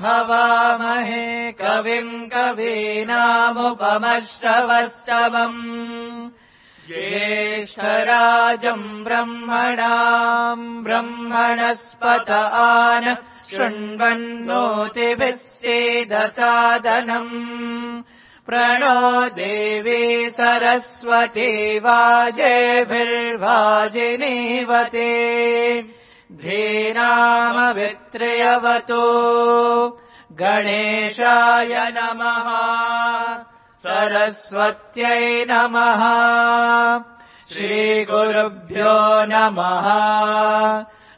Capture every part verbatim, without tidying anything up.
हवामहे कविम् कवीनामुपमश्रवस्तमम् ज्येष्ठराजम् ब्रह्मणाम् ब्रह्मणस्पत आन शृण्वन्नोतिभिः सीदसादनम् प्रणो देवी सरस्वती वाजेभिर्वाजिनीवते धीनामवित्र्यवतो गणेशाय नमः सरस्वत्यै नमः श्रीगुरुभ्यो नमः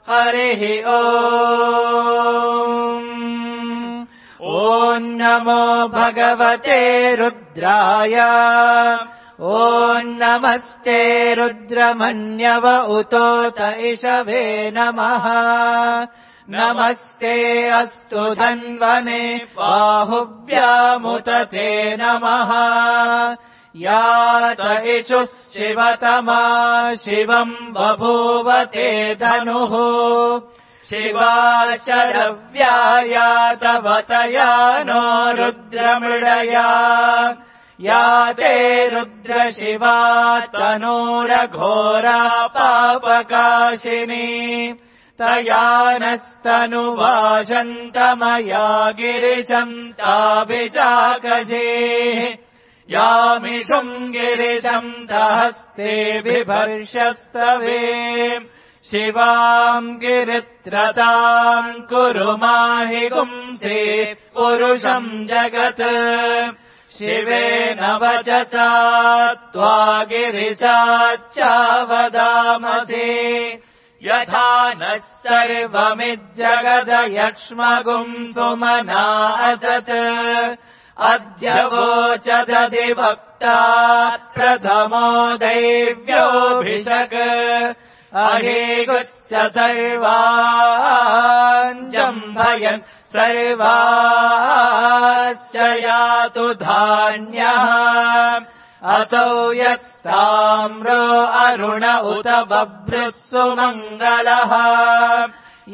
हरिः ओम् ॐ नमो भगवते रुद्राय ॐ नमस्ते रुद्रमन्यव उतोत इषवे नमः नमस्ते अस्तु धन्वने बाहुभ्यामुत ते नमः यात इषुः शिवतमा शिवम् बभूव ते धनुः शिवा शरव्यायातवतया नो रुद्रमृडया या ते रुद्रशिवा तनूरघोरा पापकाशिनी तया नस्तनुवाशन्तमया गिरिशम् ताभिचाकजे यामिषुम् गिरिशम् दहस्ते बिभर्षस्तवे शिवाम् गिरित्रताम् कुरु माहि गुंसे पुरुषम् जगत् शिवेन वचसा त्वा गिरिशाच्चावदामसे यथा नः सर्वमिज्जगदयक्ष्मगुम् सुमना असत् अद्य वोचदधिवक्ता प्रथमो दैव्योऽभिषक् अहेगुश्च सर्वाञ्जम्भयन् सर्वाश्च यातु धान्यः असौ यस्ताम्रो अरुण उत बभ्रुः सुमङ्गलः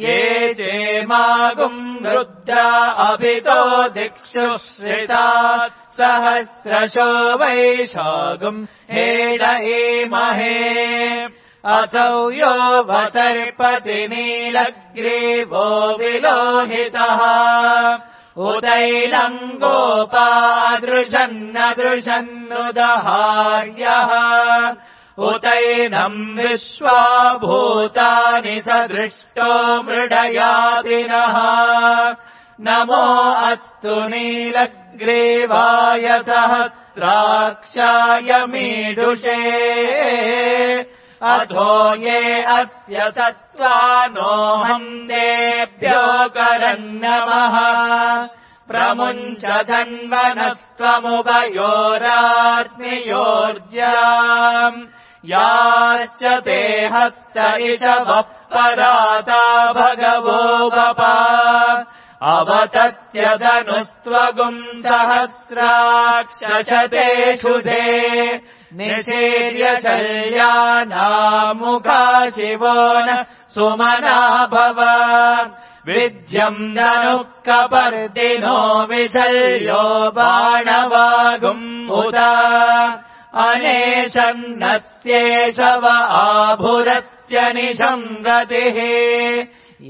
ये चेमागुम् रुद्रा अभितो दिक्षु श्रिता सहस्रशो वैशागुम् हेडयेमहे असौ यो वसर्पति नीलग्रीवो विलोहितः उतैलम् गोपादृशन्नदृशन्नुदहार्यः उतैनम् विश्वाभूतानि सदृष्टो मृडयादिनः नमो अस्तु नीलग्रीवाय सहस्राक्षाय मीढुषे अधो ये अस्य सत्त्वानोऽहम् तेभ्यो करन्नमः प्रमुञ्च धन्वनस्त्वमुभयोराग्नियोर्जाम् याश्च ते हस्त इषवः पराता भगवो वपा अवतत्यधनुस्त्वगुम् सहस्राक्षशतेषु ते निशीर्य शल्यानामुखा शिवो न सुमना भव विद्यम् धनुः कपर्दिनो विशल्यो बाणवागुम् उत अनेशन्नस्येषव आभुरस्य निशङ्गतिः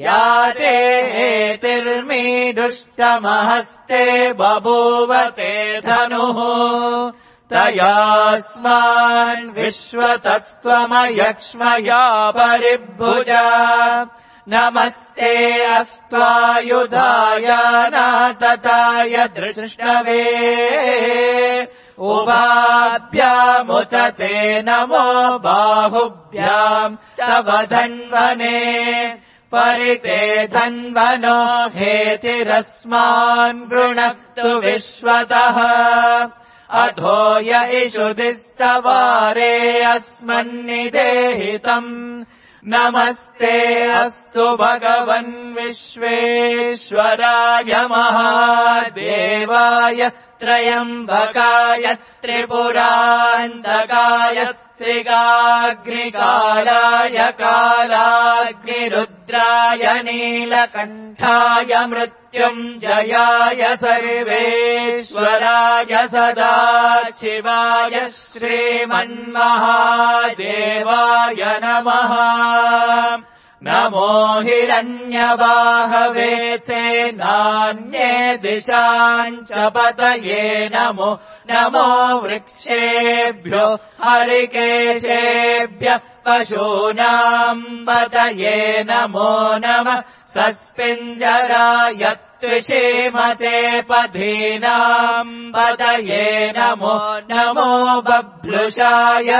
या ते हेतिर्मीदुष्टमहस्ते बभूव ते धनुः तयास्मान् विश्वतस्त्वमयक्ष्मया परिभुजा नमस्ते अस्त्वायुधाय नातताय दृष्टवे उभाभ्यामुत ते नमो बाहुभ्याम् तव धन्वने परिते धन्वनो हेतिरस्मान् वृणक्तु विश्वतः अधो य इषुधिस्तवारे अस्मन्निदेहितम् नमस्ते अस्तु भगवन् विश्वेश्वराय महादेवाय त्रयम्बकाय त्रिपुरान्तकाय त्रिगाग्निकालाय कालाग्निरुद्राय रुद्राय नीलकण्ठाय मृत्युञ्जयाय सर्वेश्वराय सदा शिवाय श्रीमन्महादेवाय नमः। नमो हिरण्यवाहवे सेनान्ये दिशाञ्च पतये नमो नमो वृक्षेभ्यो हरिकेशेभ्यः पशूनाम् पतये नमो नमः। सस्पिञ्जराय त्विषीमते पथीनाम् पतये नमो नमो बभ्लुषाय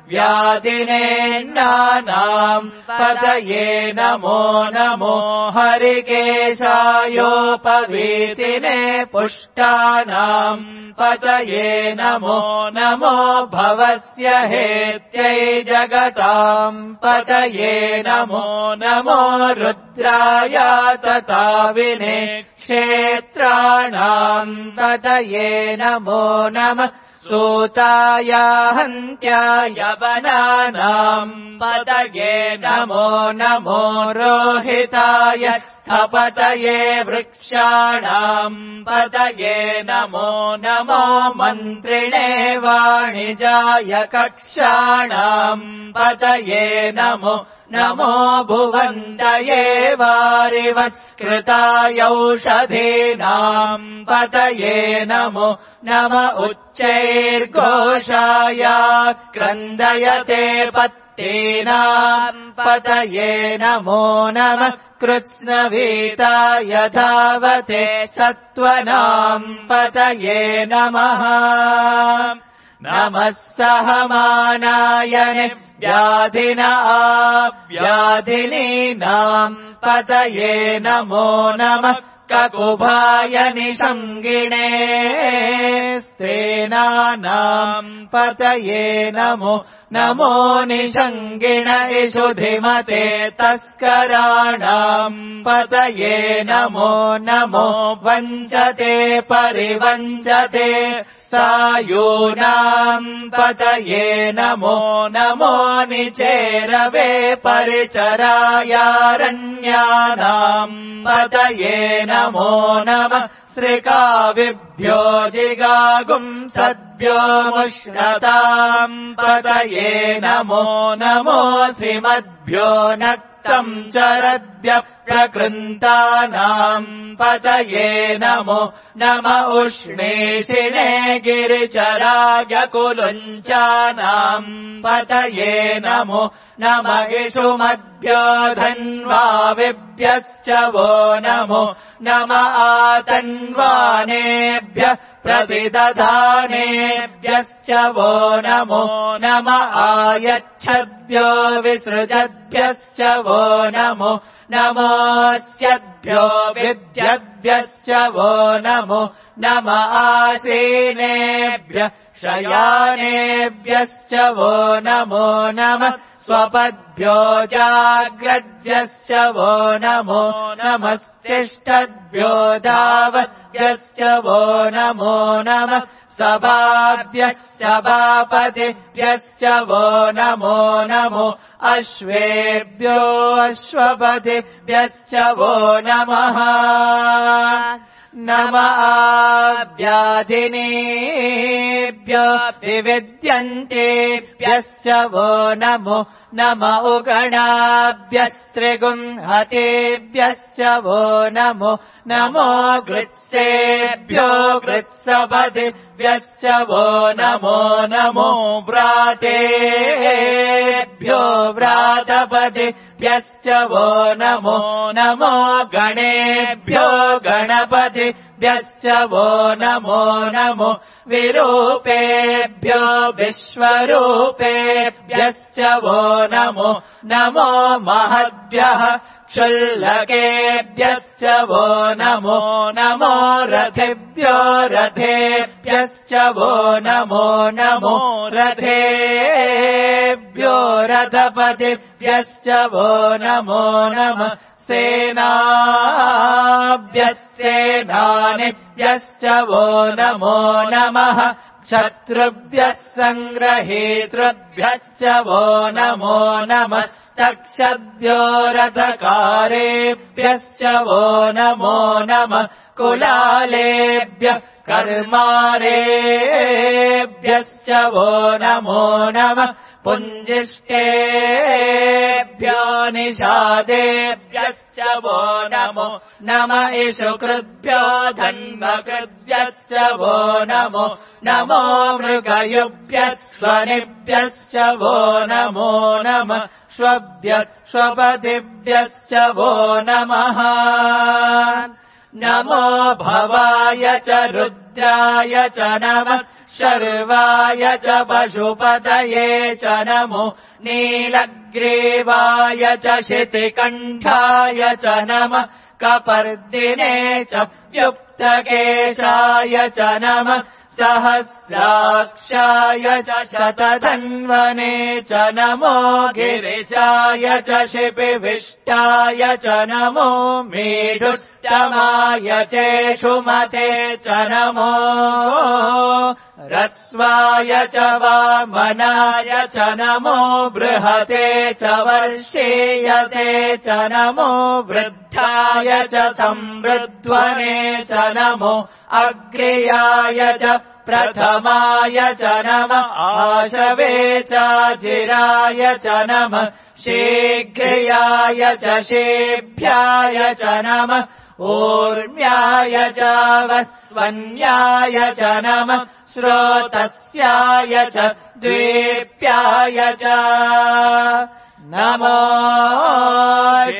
व्याधिनेन्नानाम् पतये नमो नमो हरिकेशायोपवीतिने पुष्टानाम् पतये नमो नमो भवस्य हेत्यै जगताम् पतये नमो नमो रुद्राय तताविने क्षेत्राणाम् पतये नमो नमः। सूताय हन्त्याय वनानाम् पतये नमो नमो रोहिताय स्थपतये वृक्षाणाम् पतये नमो नमो मन्त्रिणे वाणिजाय कक्षाणाम् पतये नमो नमो भुवन्तये वारिवस्कृतायौषधीनाम् पतये नमो नम उच्चैर्घोषाय क्रन्दयते पत्तीनाम् पतये नमो नमः। कृत्स्नवीताय धावते सत्त्वनाम् पतये नमः। नमः सहमानायने व्याधिन व्याधिनीनाम् पतये नमो नमः। ककुभाय निषङ्गिणे स्तेनानाम् पतये नमो नमो निषङ्गिण इषुधिमते तस्कराणाम् पतये नमो नमो वञ्चते परिवञ्चते सायूनाम् पतये नमो नमो निचेरवे परिचरायारण्यानाम् पतये नमो नमः। श्रिकाविभ्यो जिगागुंसद्भ्यो मुष्णताम् पतये नमो नमो श्रीमद्भ्यो नक्तम् चरद्भ्यः प्रकृन्तानाम् पतये नमो नम उष्णेशिणे गिरिचराय कुलुञ्चानाम् पतये नमो नम इषुमद्भ्यो धन्वाविभ्यश्च वो नमो नम आतन्वानेभ्यः प्रतिदधानेभ्यश्च वो नमो नम आयच्छद्भ्यो विसृजद्भ्यश्च वो नमो नमोऽस्यद्भ्यो विद्यद्भ्यश्च वो नमो नम आसीनेभ्यः शयानेभ्यश्च वो नमो नमः। स्वपद्भ्यो जाग्रद्भ्यश्च वो नमो नमस्तिष्ठद्भ्यो धावद्भ्यश्च वो नमो नमः। सभाभ्यश्च सभापतिभ्यश्च वो नमो नमो अश्वेभ्यो अश्वपतिभ्यश्च वो नमः। नम आव्याधिनेभ्यो विविद्यन्तेभ्यश्च वो नमो नम उगणाभ्यस्त्रिगुंहतेभ्यश्च वो नमो नमो गृत्सेभ्यो गृत्सपतिभ्यश्च वो नमो नमो व्रातेभ्यो व्रातपतिभ्यश्च वो नमो नमो गणेभ्यो गणपतिभ्यश्च वो नमो नमो विरूपेभ्यो विश्वरूपेभ्यश्च वो नमो नमो महद्भ्यः क्षुल्लकेभ्यश्च वो नमो नमो रथेभ्यो रथेभ्यश्च वो नमो नमो रथेभ्यो रथपतिभ्यश्च वो नमो नमः। सेनाभ्यः सेनानिभ्यश्च वो नमो नमः। शत्रुभ्यः सङ्ग्रहेतृभ्यश्च वो नमो नमस्तक्षभ्यो रथकारेभ्यश्च वो नमो नमः कुलालेभ्यः कर्मारेभ्यश्च वो नमो नमः पुञ्जिष्टेभ्यो निषादेभ्यश्च वो नमो नम इषुकृभ्यो धन्वकृभ्यश्च वो नमो नमो मृगयुभ्यः स्वनिभ्यश्च वो नमो नमः श्वभ्य श्वपतिभ्यश्च वो नमः नमो भवाय च रुद्राय च नमः शर्वाय च पशुपतये च नमो नीलग्रीवाय च शितिकण्ठाय च नमः कपर्दिने च व्युक्तकेशाय च नमः सहस्राक्षाय च शतधन्वने च नमो गिरिजाय च शिपिविष्टाय च नमो मेढुष्टमाय चेषुमते च नमो रस्वाय च वामनाय च नमो बृहते च वर्षेयसे च नमो वृद्धाय च संवृध्वने च नमो अग्र्याय च प्रथमाय च नमः आशवे चाजिराय च नमः शीघ्र्याय च शेभ्याय च नमः ऊर्म्याय च वस्वन्याय च नमः श्रोतस्याय च द्वीप्याय च नमो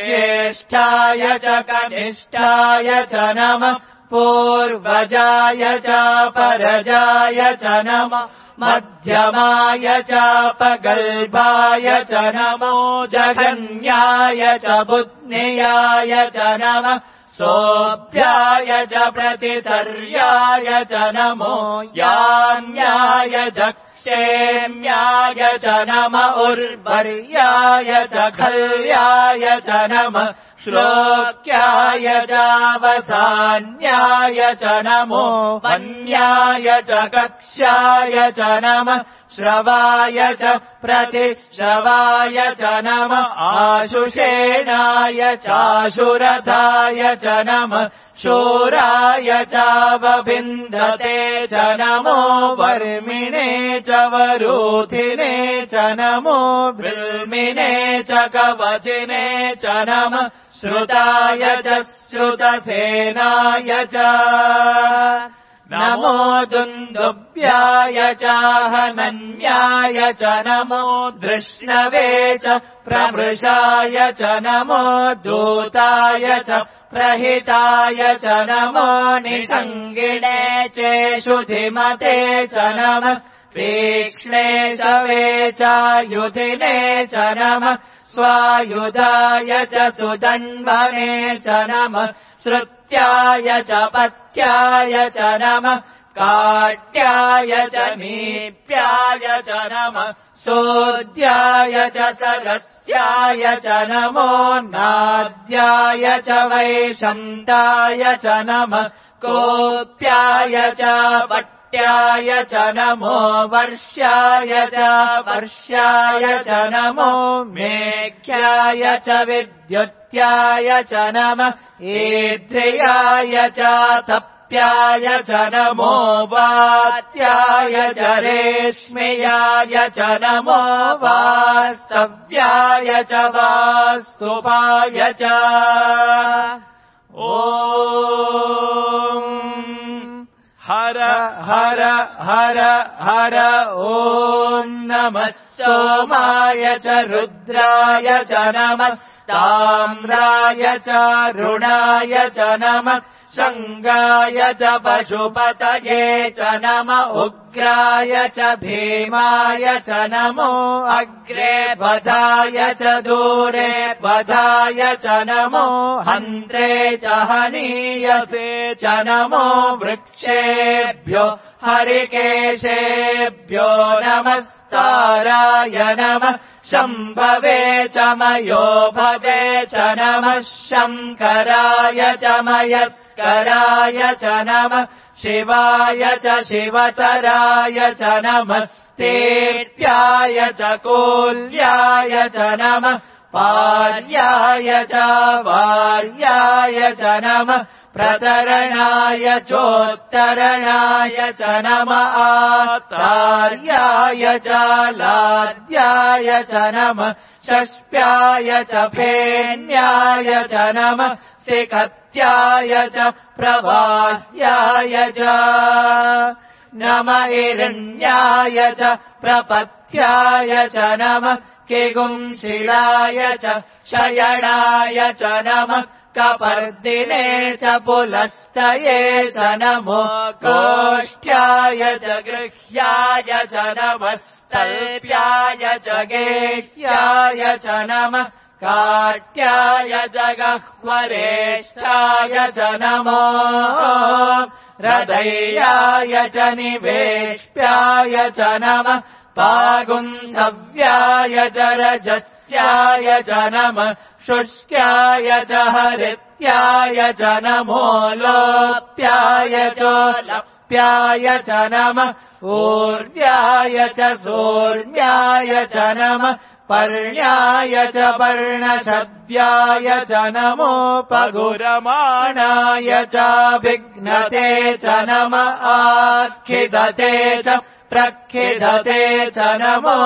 ज्येष्ठाय च कनिष्ठाय च नमः पूर्वजाय च परजाय च नमः मध्यमाय च पगल्भाय च नमो जघन्याय च बुध्नियाय च नमः सोऽभ्याय च प्रतिसर्याय च नमो याम्याय च क्षेम्याय च नम उर्वर्याय च खल्याय च नमः श्लोक्याय चावसान्याय च नमो वन्याय च कक्ष्याय च नमः श्रवाय च प्रतिश्रवाय च नमः आशुषेणाय चाशुरथाय च नमः शूराय चावभिन्दते च नमो वर्मिणे च वरूथिने च नमो बिल्मिने च कवचिने च नमः श्रुताय च श्रुतसेनाय च नमो दुन्दुभ्याय चाहनन्याय च नमो धृष्णवे च प्रमृषाय च नमो दूताय च प्रहिताय च नमो निषङ्गिणे चेषुधिमते च नमः तीक्ष्णे च वेचायुधिने च नमः स्वायुधाय च सुदन्वने च नमः श्रुत्याय च पत्याय च नमः काट्याय च नीप्याय च नमः सोद्याय च सरस्याय च नमो नाद्याय च वैशन्ताय च नमः कोप्याय च पट्याय च नमो वर्ष्याय च वर्ष्याय च नमो मेघ्याय च विद्युत्याय च नमः ईद्रियाय च तप्याय च नमो वात्याय च रेश्म्याय च नमो वास्तव्याय च वास्तुपाय च ॐ हर हर हर हर ॐ नमः सोमाय च रुद्राय च नमस्ताम्राय च रुणाय च नमः शङ्गाय च पशुपतये च नम उग्राय च भीमाय च नमो अग्रे बधाय च दूरे बधाय च नमो हन्त्रे च हनीयसे च नमो वृक्षेभ्यो हरिकेशेभ्यो नमस्ताराय नमः शम्भवे च मयोभवे च नमः शङ्कराय च मयस्कराय च नमः शिवाय च शिवतराय च नमस्तेत्याय च कोल्याय च नमः पार्याय च वार्याय च नमः प्रतरणाय चोत्तरणाय च नमः आतार्याय च लाद्याय च नमः षष्प्याय च फेन्याय च नमः सिकत्याय च प्रवाह्याय च नम हिरण्याय च प्रपथ्याय च नमः किगुंशिलाय च शयनाय च नमः कपर्दिने च पुलस्तये च नमो गोष्ठ्याय च गृह्याय च नमस्तल्प्याय च गेह्याय च नमः काट्याय च गह्वरेष्ठाय च नमो हृदयाय च निवेष्ट्याय च नमः पागुंसव्याय च रजस्याय च नमः शुष्क्याय च हरित्याय च नमो लोप्याय च लप्याय च नमः ऊर्व्याय च सोर्म्याय च नमः पर्ण्याय च पर्णशद्याय च नमोपगुरमाणाय च विघ्नते च नमः आखिदते च प्रखिदते च नमो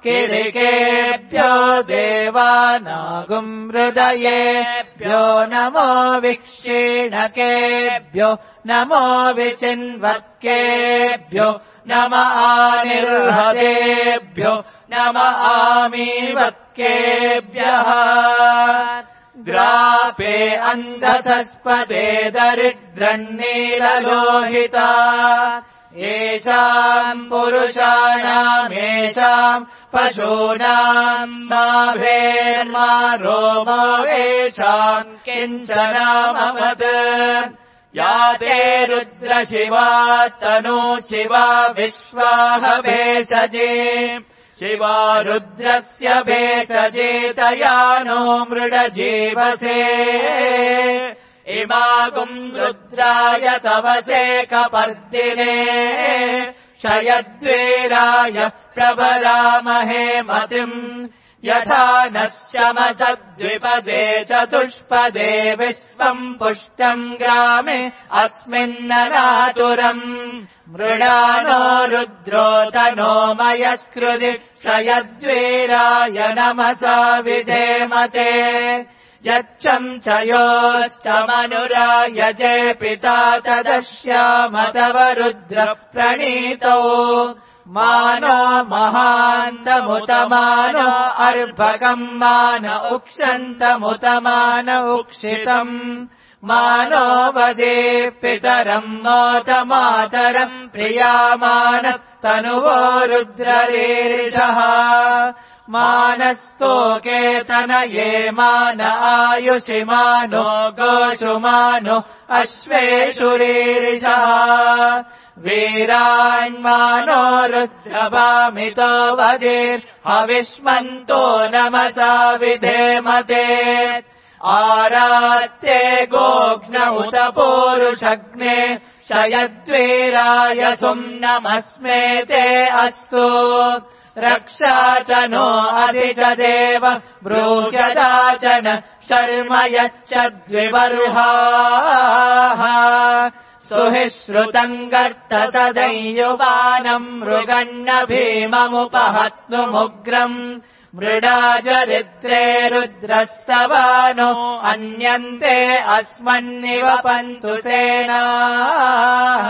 किरिकेभ्यो देवानागुम् हृदयेभ्यो नमो विक्षीणकेभ्यो नमो विचिन्वत्केभ्यो नम आनिर्हतेभ्यो नम आमीवत्केभ्यः ग्रापे अन्धसस्पदे दरिद्रन्नीललोहिता येषाम् पुरुषाणामेषाम् पशूनाम् माभेर्मा रोमो येषाम् किञ्चनामवत् या ते रुद्रशिवा तनु शिवा विश्वाह भेषजे शिवा रुद्रस्य भेषजेतया नो मृडजीवसे इमागुम् रुद्राय तवसे कपर्दिने शयद्वीराय प्रभरामहे मतिम् यथा नः शमसद्विपदे चतुष्पदे विश्वम् पुष्टम् ग्रामे अस्मिन्ननातुरम् मृडानो रुद्रो तनो मयस्कृति शयद्वीराय नमसा विधेमते यच्छम् च योश्चमनुराय जे पिता तदश्याम तव रुद्र प्रणीतौ मानो महान्तमुतमानो अर्भकम् मान उक्षन्तमुतमान उक्षितम् मानो वदे पितरम् मोतमातरम् प्रियामानः तनुवो रुद्ररीरिषः मानस्तोकेतनये मान आयुषि मानो गोषु मानो अश्वेषु रीरिषः वीरान्मानो रुद्रभामितो वदेर्हविष्मन्तो नमसा विधेमते आरात्ये गोघ्न उत पूरुषग्ने शयद्वीराय सुम्नमस्मे ते अस्तु रक्षा च नो अधि च देव ब्रूह्यता च न शर्म यच्च द्विबर्हाः सुहि श्रुतम् गर्त सदैयुवानम् मृगन्न भीममुपहत्नुमुग्रम् मृडाचरित्रे रुद्रस्तवानो अन्यन्ते अस्मन्निव पन्तु सेनाः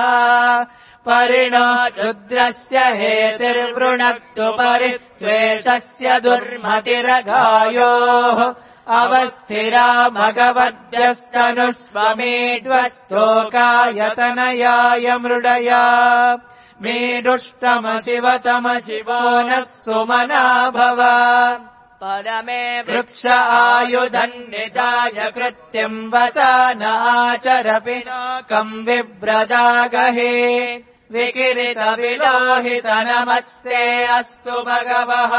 परिणो रुद्रस्य हेतिर्वृणक्तु परित्वेषस्य दुर्मतिरघायोः अवस्थिरा भगवद्भ्यस्तनुष्वमीड्वस्तोकायतनयाय मृडया मीडुष्टम शिवतम शिवो नः सुमना भव परमे वृक्ष आयुधन्निधाय कृत्यम् वसान आचर पिनाकम् विव्रदागहे विकिरित विलोहित नमस्ते अस्तु भगवः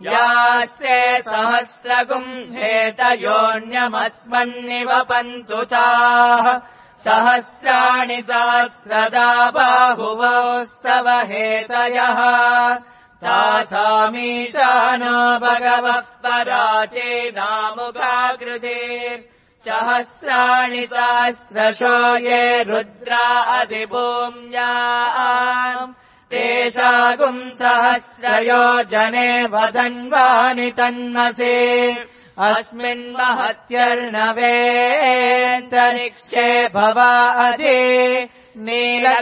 यास्ते सहस्रगुम् हेतयोऽन्यमस्मन्निवपन्तु ताः सहस्राणि सहस्रदा बाहुवोस्तव हेतयः तासामीशानो भगवः पराचेनामुखाकृते सहस्राणि सहस्रशो ये रुद्रा अधिभूम्याम् तेषागुम् सहस्रयोजने वदन्वानि तन्मसे अस्मिन् महत्यर्णवेऽन्तरिक्षे भवा अधि नीलग्रीवाशितिकण्ठा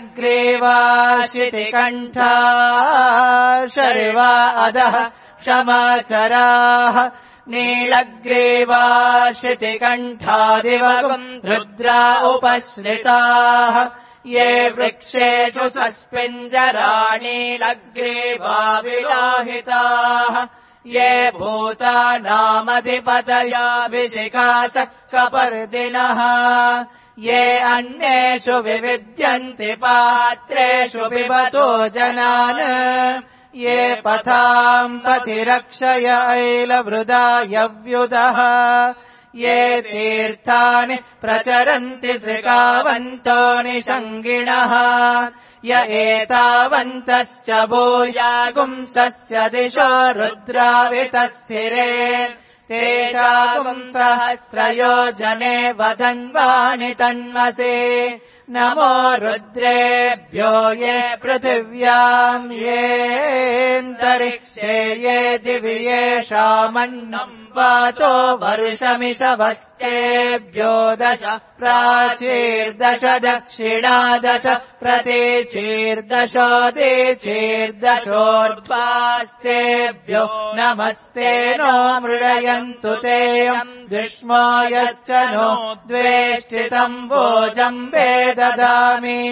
शर्वा अधः क्षमाचराः नीलग्रीवाशितिकण्ठादिवगुम् रुद्रा उपश्रिताः ये वृक्षेषु सस्पिञ्जराणीलग्रीवा विलोहिताः ये भूतानामधिपतयाभिषिकासः कपर्दिनः ये अन्येषु विविद्यन्ति पात्रेषु पिबतो जनान् ये पथाम् पथिरक्षय ऐलवृदायव्युदः ये तीर्थानि प्रचरन्ति श्रिकावन्तो निषङ्गिणः य एतावन्तश्च भूयागुंसस्य दिशो रुद्रावितस्थिरे तेषागुम् सहस्रयोजने वदन्वानि तन्मसे नमो रुद्रेभ्यो ये पृथिव्याम् येऽन्तरिक्षे ये दिवि येषामन्नम् वातो वर्षमिषवस्तेभ्यो दश प्राचीर्दश दक्षिणादश प्रतीचीर्दशोदीचीर्दशोर्ध्वास्तेभ्यो नमस्ते नो मृडयन्तु तेऽयम् दुष्मो यश्च नो द्वेष्टितम् भोजम् वेददामि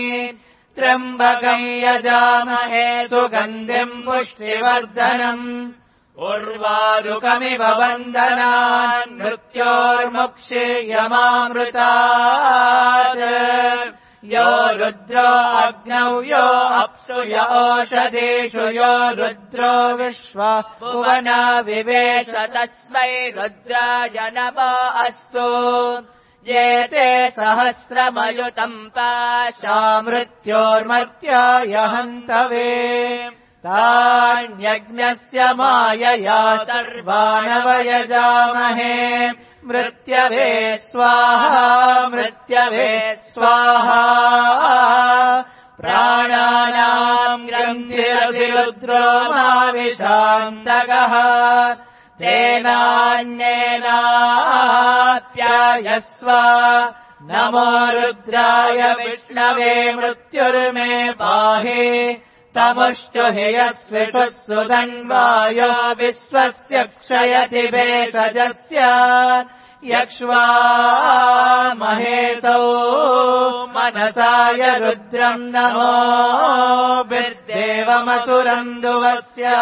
त्र्यम्बकम् यजामहे सुगन्धिम् पुष्टिवर्धनम् उर्वारुकमिव वन्दनान् मृत्योर्मुक्षीयमामृतात् यो रुद्रो अग्नौ यो अप्सु य ओषधीषु यो रुद्रो विश्वा भुवना विवेश तस्मै रुद्राय नमो अस्तु ये ते सहस्रमयुतम् पाशा मृत्योर्मर्त्याय हन्तवे तान्यज्ञस्य मायया सर्वाणवयजामहे मृत्यवे स्वाहा मृत्यवे स्वाहा प्राणानाम् ग्रन्थिरभिरुद्रो माविशान्तकः तेनान्येनाप्यायस्व नमो रुद्राय विष्णवे मृत्युर्मे पाहि तमुष्टु हि यस्विषुः सुधन्वायो विश्वस्य क्षयति भेषजस्य यक्ष्वा महेशौ मनसाय रुद्रम् नमो विद्देवमसुरम् दुवस्य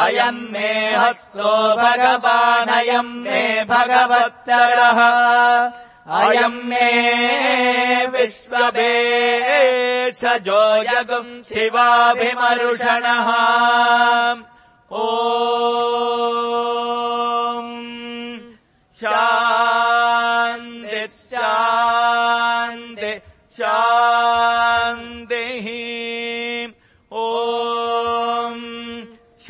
अयम् मे हस्तो भगवानयम् मे भगवत्तरः अयम् मे विश्ववेशजो जगुम् शिवाभिमरुषणः ॐ शान्ति शान्ति शान्तिः ॐ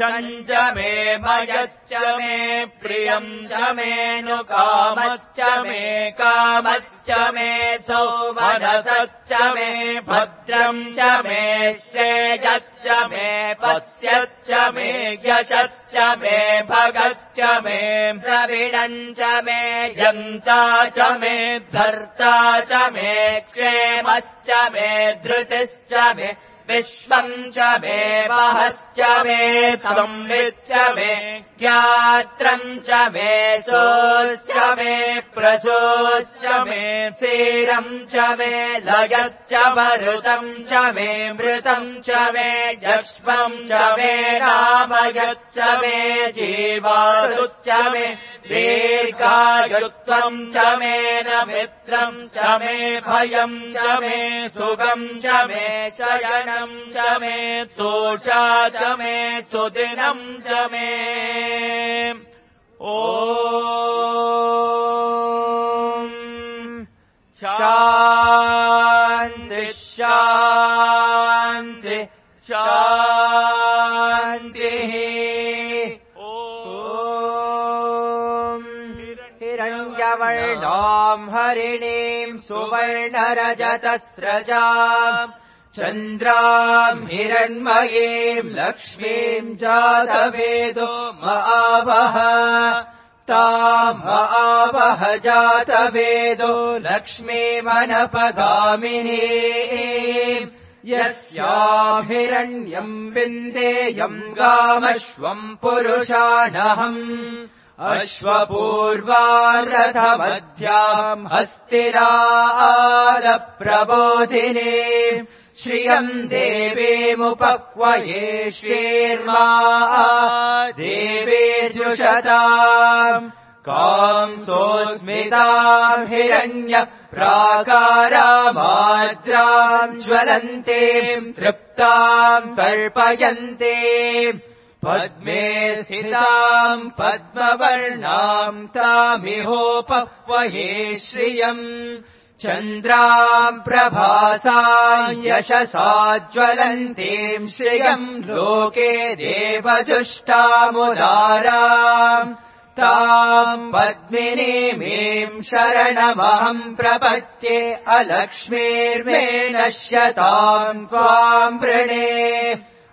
शञ्च मे मयश्च मे प्रियम् च मे नु कामश्च मे कामश्च मे सौमनसश्च मे भद्रम् च मे श्रेयश्च मे पश्यश्च मे यशश्च मे भगश्च मे द्रविडम् च मे यन्ता च मे धर्ता च मे क्षेमश्च मे धृतिश्च मे विश्वम् च मे वहश्च मे संविच्च मे ज्ञात्रम् च मे सोश्च मे प्रसोश्च मे सीरम् च मे लयश्च मरुतम् च मे मृतम् च मे यक्ष्मम् च मे रामयश्च मे जीवायुश्च मे दीर्घायुत्वम् च मे न मित्रम् च मे भयम् च मे सुखम् च मे शयनम् सुवर्णम् च मे सोषा च मे सुदिनम् च मे ॐ शान्ति शान्ति शान्तिः ॐ हिरण्यवर्णाम् हरिणीम् सुवर्णरजतस्रजाम् चन्द्राम् हिरण्मयीम् लक्ष्मीम् जातवेदो महावः ताम् महावः जातवेदो लक्ष्मीमनपगामिनीम् यस्याम् हिरण्यम् विन्देयम् गामश्वम् पुरुषाणहम् अश्वपूर्वारथमध्याम् हस्तिनादप्रबोधिनी श्रियम् देवीमुपक्वये श्रीर्मा देवीजुषताम् कांसोऽस्मिताम् हिरण्य प्राकारामाद्राम् ज्वलन्तीम् तृप्ताम् तर्पयन्ते पद्मे स्थिताम् पद्मवर्णाम् तामिहोपक्वये श्रियम् चन्द्राम् प्रभासाम् यशसा ज्वलन्तीम् श्रियम् लोके देवजुष्टामुदाराम् ताम् पद्मिनीमीम् शरणमहम् प्रपद्ये अलक्ष्मीर्मे नश्यताम् त्वाम् वृणे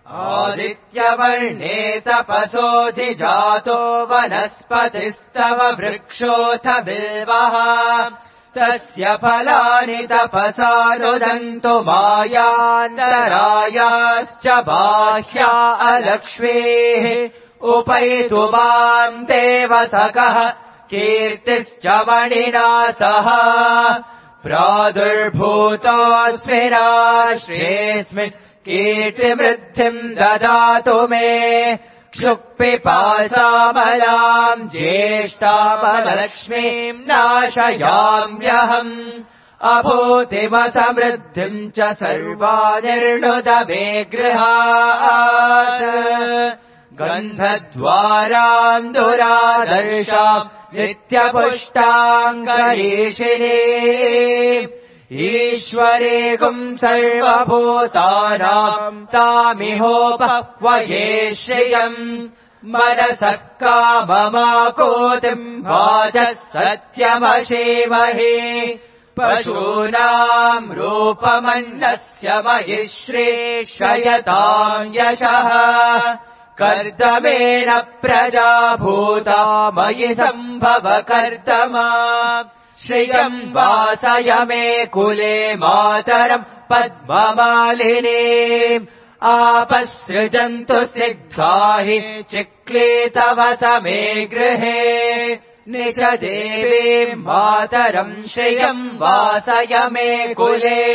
आदित्यवर्णे तपसोऽधिजातो वनस्पतिस्तव वृक्षोऽथ बिल्वः तस्य फलानि तपसा रुदन्तु मायान्तरायाश्च बाह्या अलक्ष्मीः उपैतु माम् देवसखः कीर्तिश्च मणिना सह प्रादुर्भूतोऽस्मि राष्ट्रेऽस्मिन् कीर्तिवृद्धिम् ददातु मे क्षुक्पिपासामलाम् ज्येष्ठामलक्ष्मीम् नाशयाम्यहम् अभूतिमसमृद्धिम् च सर्वानिर्णुत मे गृहात् गन्धद्वाराम् दुरादर्शाम् नित्यपुष्टाङ्गरीषिणी ईश्वरेकुम् सर्वभूतानाम् तामिहोपक्वये श्रियम् मनसः काममाकोतिम् वाचः सत्यमशीमहि पशूनाम् रूपमन्नस्य मयि श्रेष्ठयताम् यशः कर्दमेन प्रजाभूता मयि सम्भव कर्दमा श्रियम् वासय मे कुले मातरम् पद्ममालिनीम् आपसृजन्तु स्निग्धा हि चिक्लीतवत मे गृहे निज देवीम् मातरम् श्रियम् वासय मे कुले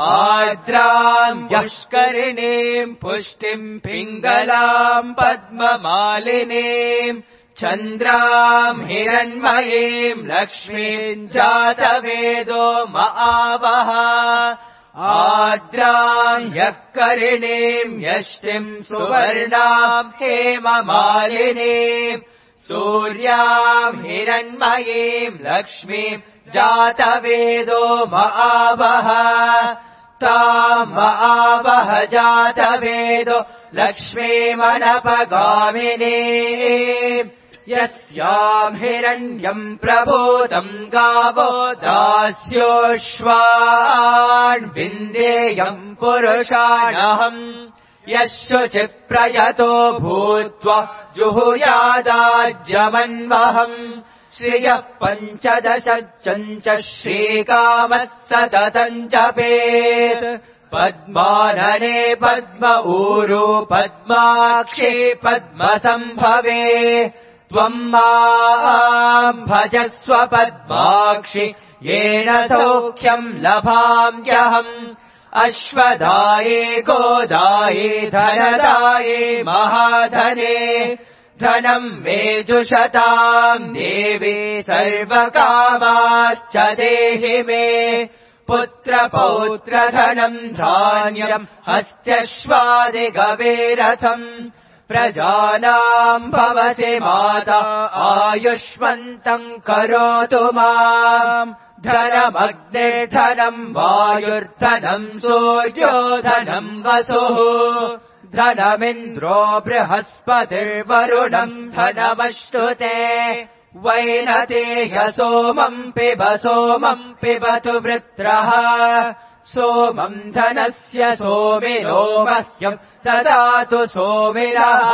आर्द्राम् यष्करिणीम् पुष्टिम् पिङ्गलाम् पद्ममालिनीम् चन्द्राम् हिरण्मयीम् लक्ष्मीम् जातवेदो महावः आर्द्राम् यःकरिणीम् यष्टिम् सुवर्णाम् हेममालिनीम् सूर्याम् हिरण्मयीम् लक्ष्मीम् जातवेदो महावः ताम् महावः जातवेदो लक्ष्मीमनपगामिनी यस्याम् हिरण्यम् प्रभूतम् गावो दास्योऽश्वान् विन्देयम् पुरुषाणहम् यः शुचिप्रयतो भूत्वा जुहुयादाज्यमन्वहम् श्रियः पञ्चदशम् च श्रीकामः सततम् जपेत् पद्मानने पद्म ऊरू पद्माक्षी पद्मसम्भवे त्वम् माम् भजस्व पद्माक्षि येन सौख्यम् लभाम्यहम् अश्वदाये गोदाये धनदाये महाधने धनम् मे जुषताम् देवी सर्वकामाश्च देहि मे पुत्रपौत्रधनम् धान्यम् हस्त्यश्वादिगवेरथम् प्रजानाम् भवसि माता आयुष्मन्तम् करोतु माम् धनमग्निर्धनम् वायुर्धनम् सूर्यो धनम् वसुः धनमिन्द्रो बृहस्पतिर्वरुणम् धनमश्नुते वैनतेय सोमम् पिब सोमम् पिबतु वृत्रः सोमम् धनस्य सोमिनो मह्यम् ददातु सोमिनः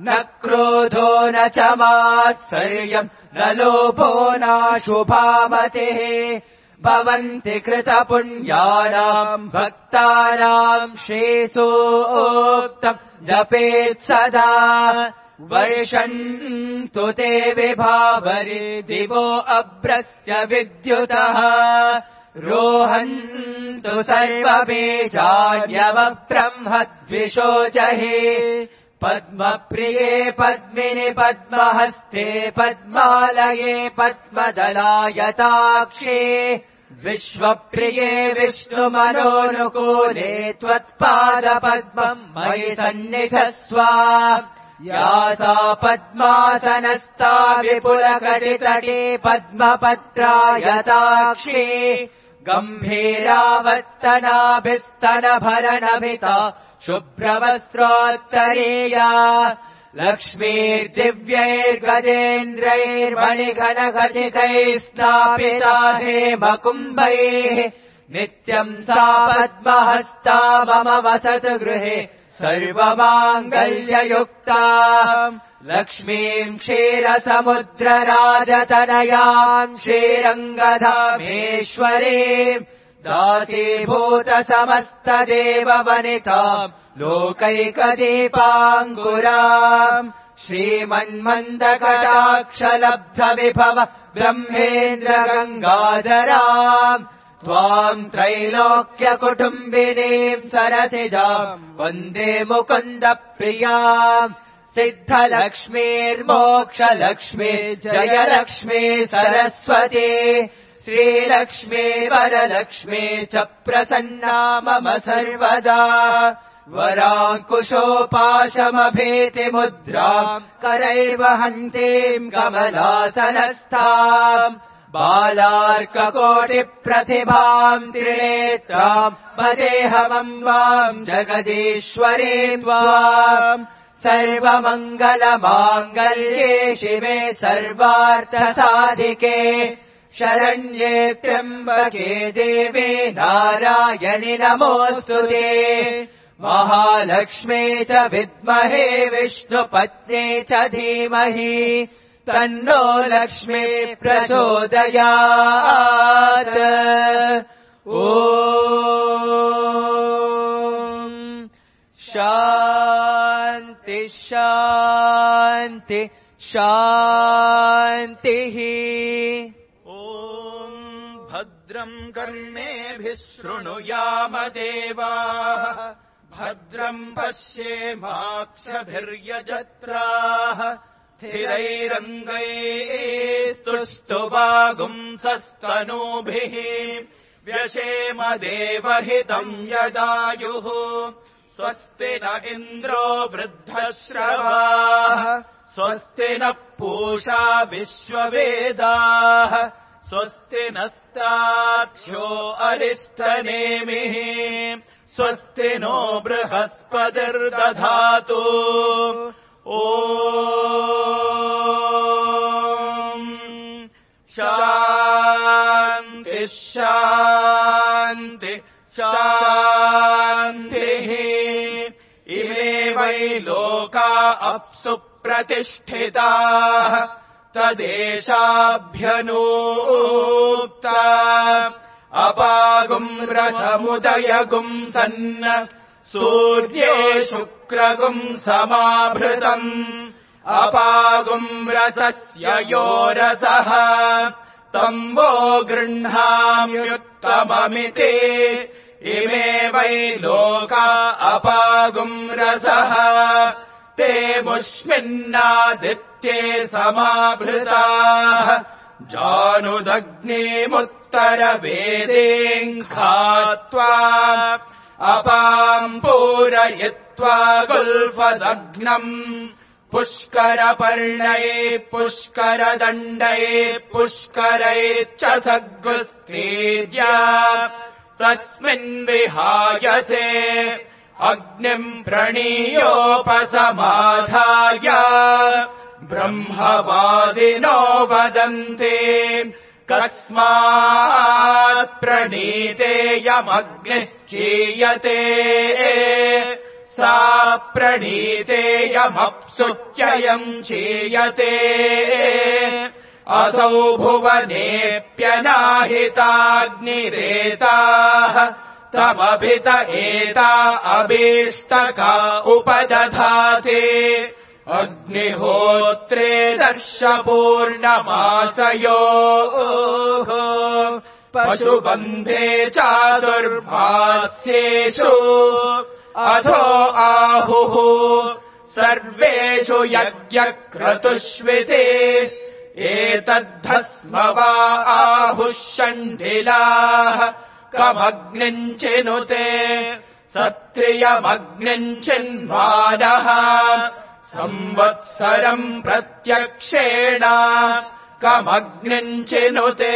न क्रोधो न च मात्सर्यम् न लोभो नाशुभामतिः भवन्ति कृतपुण्यानाम् भक्तानाम् श्रीसूक्तम् जपेत् सदा वर्षन्तु ते विभावरि दिवो अभ्रस्य विद्युतः रोहन्तु सर्वबीजान्यवब्रह्मद्विषोजहि पद्मप्रिये पद्मिनि पद्महस्ते पद्मालये पद्मदलायताक्षे विश्वप्रिये विष्णुमनोनुकूले त्वत्पादपद्मम् मयि सन्निधस्व या सा पद्मासनस्था विपुलकटितटे पद्मपत्रायताक्षी गम्भीरावत्तनाभिस्तनभरणमिता शुभ्रवस्त्रोत्तरीया लक्ष्मीर्दिव्यैर्गजेन्द्रैर्मणिघनखचितैः स्नापिता हेमकुम्भैः नित्यम् सा पद्महस्ता मम वसतु गृहे सर्वमाङ्गल्ययुक्ता लक्ष्मीम् क्षीरसमुद्रराजतनयाम् श्रीरङ्गधामेश्वरीम् दासीभूतसमस्तदेववनिताम् लोकैकदीपाङ्कुराम् श्रीमन्मन्दकटाक्षलब्धविभव ब्रह्मेन्द्रगङ्गाधराम् त्वाम् त्रैलोक्यकुटुम्बिनीम् सरसिजाम् वन्दे मुकुन्दप्रियाम् सिद्धलक्ष्मीर्मोक्षलक्ष्मी जयलक्ष्मी सरस्वती श्रीलक्ष्मी वरलक्ष्मी च प्रसन्ना मम सर्वदा वराङ्कुशोपाशमभीतिमुद्राम् करैर्वहन्तीम् कमलासनस्थाम् बालार्ककोटिप्रतिभाम् त्रिनेत्राम् भजेऽहमम्बाम् जगदीश्वरी त्वाम् सर्वमङ्गलमाङ्गल्ये शिवे सर्वार्थसाधिके शरण्ये त्र्यम्बके देवे नारायणि नमोऽस्तुते महालक्ष्मे च विद्महे विष्णुपत्ने च धीमहि तन्नो लक्ष्मी प्रचोदयात् ॐ शान्ति शान्ति शान्तिः भद्रम् कर्णेभिः शृणुयाम देवाः भद्रम् पश्येमाक्षभिर्यजत्राः स्थिरैरङ्गैस्तुष्टुवागुंसस्तनूभिः व्यशेम देवहितम् यदायुः स्वस्ति न इन्द्रो वृद्धश्रवाः स्वस्ति नः पूषा विश्ववेदाः स्वस्ति नस्ताक्ष्यो अरिष्टनेमिः स्वस्ति नो बृहस्पतिर्दधातु ॐ शान्ति शान्ति शान्तिः इमे वै लोका अप्सु प्रतिष्ठिताः तदेशाभ्यनूक्ता अपागुम् रथमुदयगुम् सन्न सूर्ये शुक्रगुम् समाभृतम् अपागुम् रसस्य यो रसः तम्बो गृह्णाम्युत्तममिति इमे वै लोका अपागुम् रसः ते मुष्मिन्नादित्ये समाभृताः जानुदग्नेमुत्तममिति उत्तरवेदेम् खात्वा अपाम् पूरयित्वा गुल्फदग्नम् पुष्करपर्णये पुष्करदण्डये पुष्करैश्च सद्गुस्त्रीर्य तस्मिन् विहायसे अग्निम् प्रणीयोपसमाधाय ब्रह्मवादिनो वदन्ति कस्मात् प्रणीतेयमग्निश्चीयते सा प्रणीतेयमप्सुत्ययम् चीयते असौ भुवनेऽप्यनाहिताग्निरेताः तमभित एता अभीष्टका उपदधाते अग्निहोत्रे दर्शपूर्णमासयोः पशुबन्धे चातुर्मास्येषु अथो आहुः सर्वेषु यज्ञक्रतुष्विते एतद्धस्म वा आहुः षण्ढिलाः कमग्निम् चिनुते सत्रियमग्निम् चिन्वानः संवत्सरम् प्रत्यक्षेण कमग्निम् चिनुते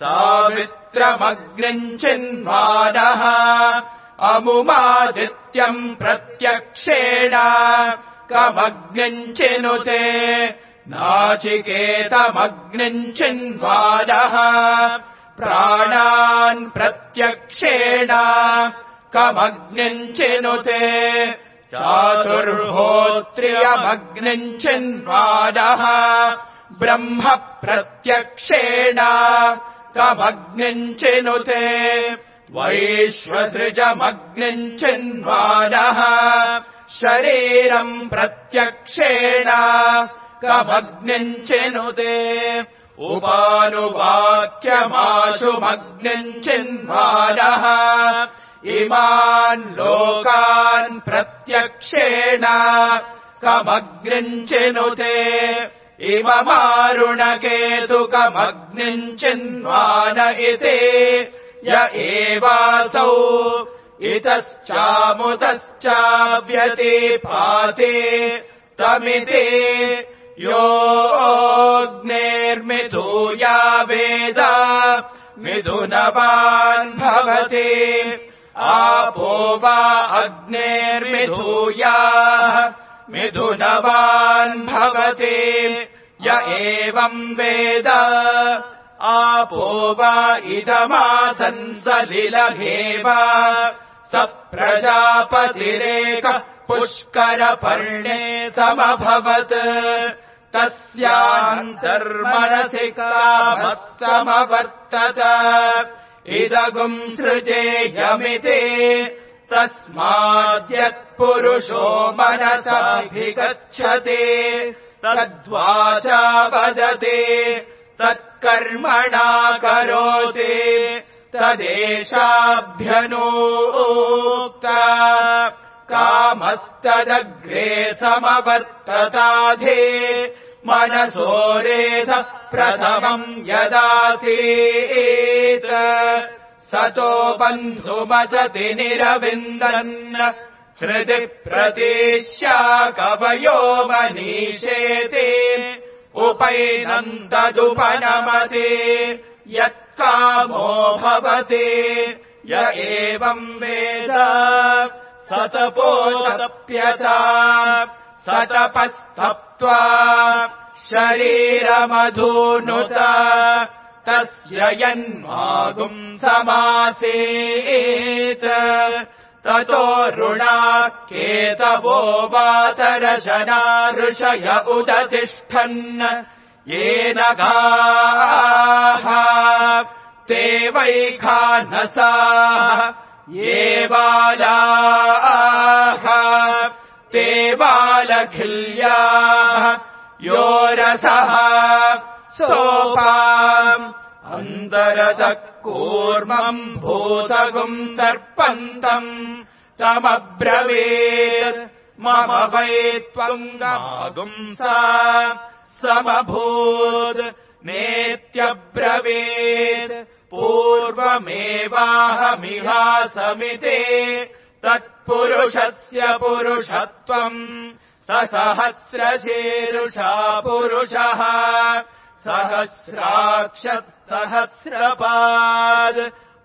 सावित्रमग्निम् चिन्वानः अमुमादित्यम् प्रत्यक्षेण कमग्निम् चिनुते नाचिकेतमग्निम् चिन्वानः प्राणान् प्रत्यक्षेण कमग्निम् चिनुते चातुर्होत्रियमग्निम् चिन्वानः ब्रह्म प्रत्यक्षेण कमग्निम् चिनुते वैश्वसृजमग्निम् चिन्वानः शरीरम् प्रत्यक्षेण कमग्निम् चिनुते उपानुवाक्यमाशुमग्निम् चिन्वानः इमान् लोकान् प्रत्यक्षेण कमग्निम् चिनुते इममारुणकेतुकमग्निम् चिन्वान इति य एवासौ इतश्चामुतश्चाव्यतिपाते तमिति योऽग्नेर्मिथूया वेद मिथुनवान् भवति आपो वा अग्नेर्मिथूयाः मिथुनवान् भवति य एवम् वेद आपो वा इदमासन् सलिलमेव स प्रजापतिरेकः पुष्करपर्णे समभवत् तस्यान्तर्मनसि कामः समवर्तत इदगुम् सृजेयमिति तस्माद्यत्पुरुषो मनसाभिगच्छति तद्वाचा वदति तत्कर्मणा करोति तदेशाभ्यनोक्ता कामस्तदग्रे समवर्तताधे मनसोरेध प्रथमम् यदासीत् सतो बन्धुमसति निरविन्दन् हृदि प्रतीश्या कवयो मनीषेति उपैनन्तदुपनमति यत्कामो भवति य एवम् वेद सतपोतप्यता सतपस्तप्त्वा शरीरमधूनुत तस्य यन्मागुम् समासेत् ततो ऋणाकेतवो वातरशना ऋषय उदतिष्ठन् येन गाः ते वैखानसाः ये बालाः ते बालखिल्याः यो रसः सोपाम् अन्तरतः कूर्मम् भूतगुम् सर्पन्तम् तमब्रवीत् मम वै त्वम् गागुंसा समभूत् नेत्यब्रवीत् पूर्वमेवाहमिहासमिते तत्पुरुषस्य पुरुषत्वम् स सहस्रशीर्षा पुरुषः सहस्राक्षत् सहस्रपाद्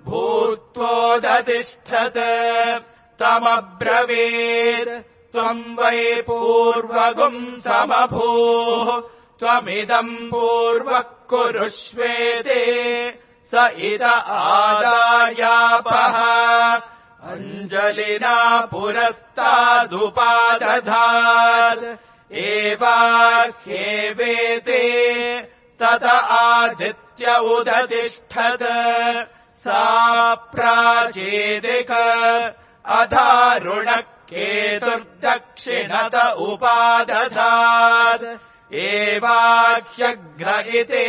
भूत्वोदतिष्ठत् तमब्रवीत् त्वम् वै पूर्वगुम् समभूः त्वमिदम् पूर्वः कुरुष्वेते स इत आदायापः अञ्जलिना पुरस्तादुपादधात् एवाह्येवेते तत आदित्य उदतिष्ठत् सा प्राचेदिक अधारुणः केतुर्दक्षिणत उपादधात् एवाह्यघ्न इति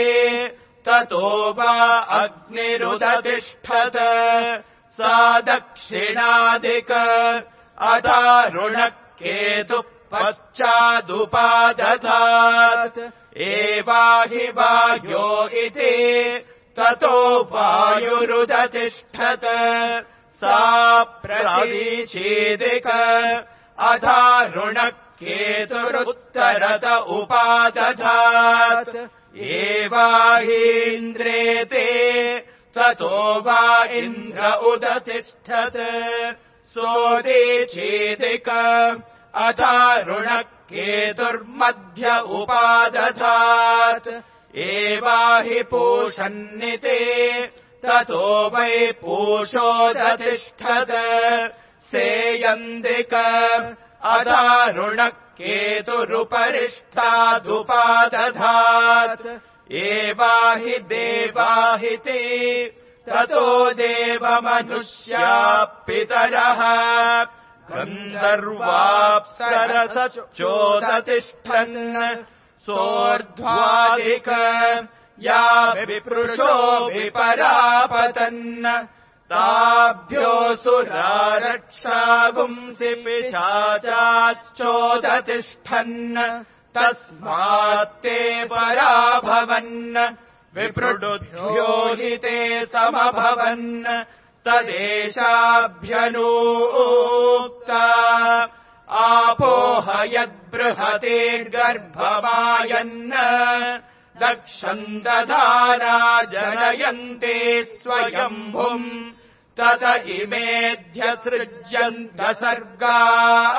ततो वा अग्निरुदतिष्ठत् सा दक्षिणादिक अधारुणः केतुः पश्चादुपादधात् एवाहि वायो इति ततो वायुरुदतिष्ठत् सा प्रतीचेदिक अधारुणः केतुरुत्तरत उपादधात् एवाहीन्द्रेते ततो वा इन्द्र उदतिष्ठत् सोदीचेदिक अधारुणः केतुर्मध्य उपादधात् एवाहि पूषन्निते ततो वै पूषोदतिष्ठत् सेयन्दिक अधारुणः केतुरुपरिष्ठादुपादधात् एवाहि देवाहिति ततो देवमनुष्या पितरः गन्धर्वाप्सरसश्चोदतिष्ठन् सोऽर्ध्वादिक या विप्रुषो विपरापतन् ताभ्योऽसुरा रक्षागुंसि पिशाचाश्चोदतिष्ठन् तस्मात्ते पराभवन् विप्रुडुभ्यो हि ते समभवन् तदेशाभ्यनूक्ता आपोह यद्बृहतेर्गर्भमायन् दक्षम् दधाना जनयन्ते स्वयम्भुम् तत इमेऽध्यसृज्यन्त सर्गाः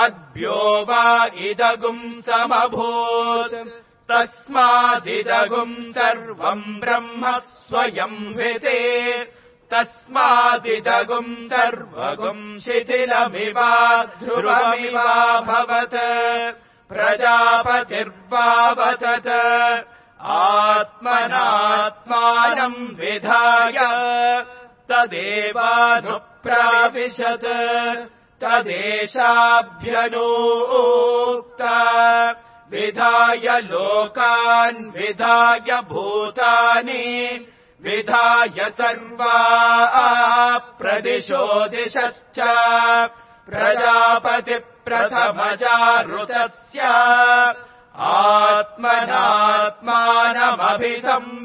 अद्भ्यो वा इदगुम् समभूत् तस्मादिदगुम् सर्वम् ब्रह्म स्वयंविते तस्मादिदगुम् सर्वगुम् शिथिलमिवा ध्रुवमिवाभवत् प्रजापतिर्वावतत आत्मनात्मानम् विधाय तदेवानुप्राविशत् तदेशाभ्यनूक्ता विधाय लोकान् विधाय भूतानि विधाय सर्वा प्रदिशो दिशश्च प्रजापतिप्रथमजारुतस्य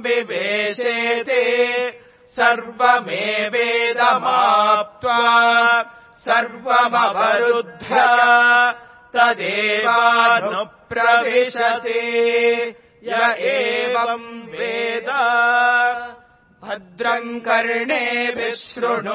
आत्मनात्मानमभिसंविवेशेते सर्वमेवेदमाप्त्वा सर्वमवरुध्य तदेवानुप्रविशते य एवम् वेद भद्रम् कर्णेभिः शृणुयामदेवाः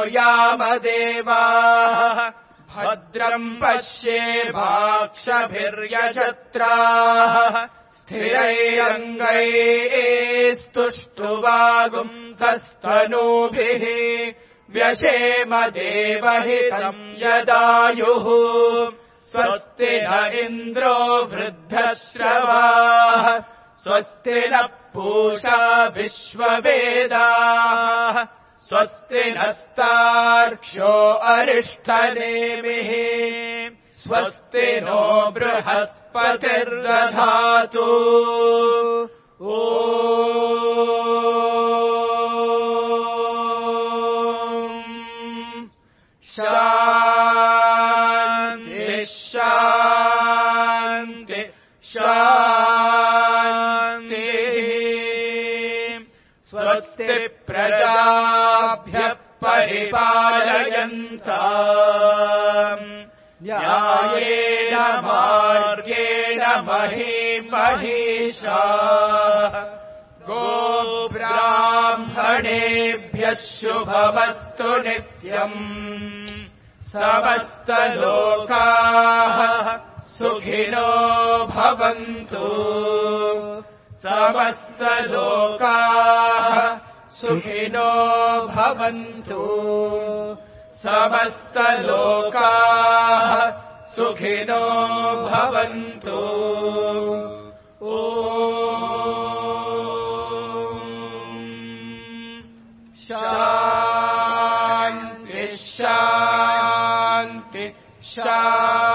भद्रम् पश्येमाक्षभिर्यजत्राः स्थिरैरङ्गैस्तुष्टुवागुंसस्तनूभिः व्यशेम देवहितम् यदायुः स्वस्ति न इन्द्रो वृद्धश्रवाः स्वस्ति न पूषा विश्ववेदाः स्वस्ति नस्तार्क्ष्यो अरिष्ठनेमिः स्वस्ति नो बृहस्पतिर्दधातु ओ शान्ति शान्ति शान्तिः परिपालयन्ताम् न्यायेन मार्गेण महीमहीषाः गोब्राह्मणेभ्यः शुभमस्तु नित्यम् समस्तलोकाः सुखिनो भवन्तु समस्तलोकाः सुखिनो भवन्तु समस्तलोकाः सुखिनो भवन्तु ॐ शान्ति शान्ति शान्ति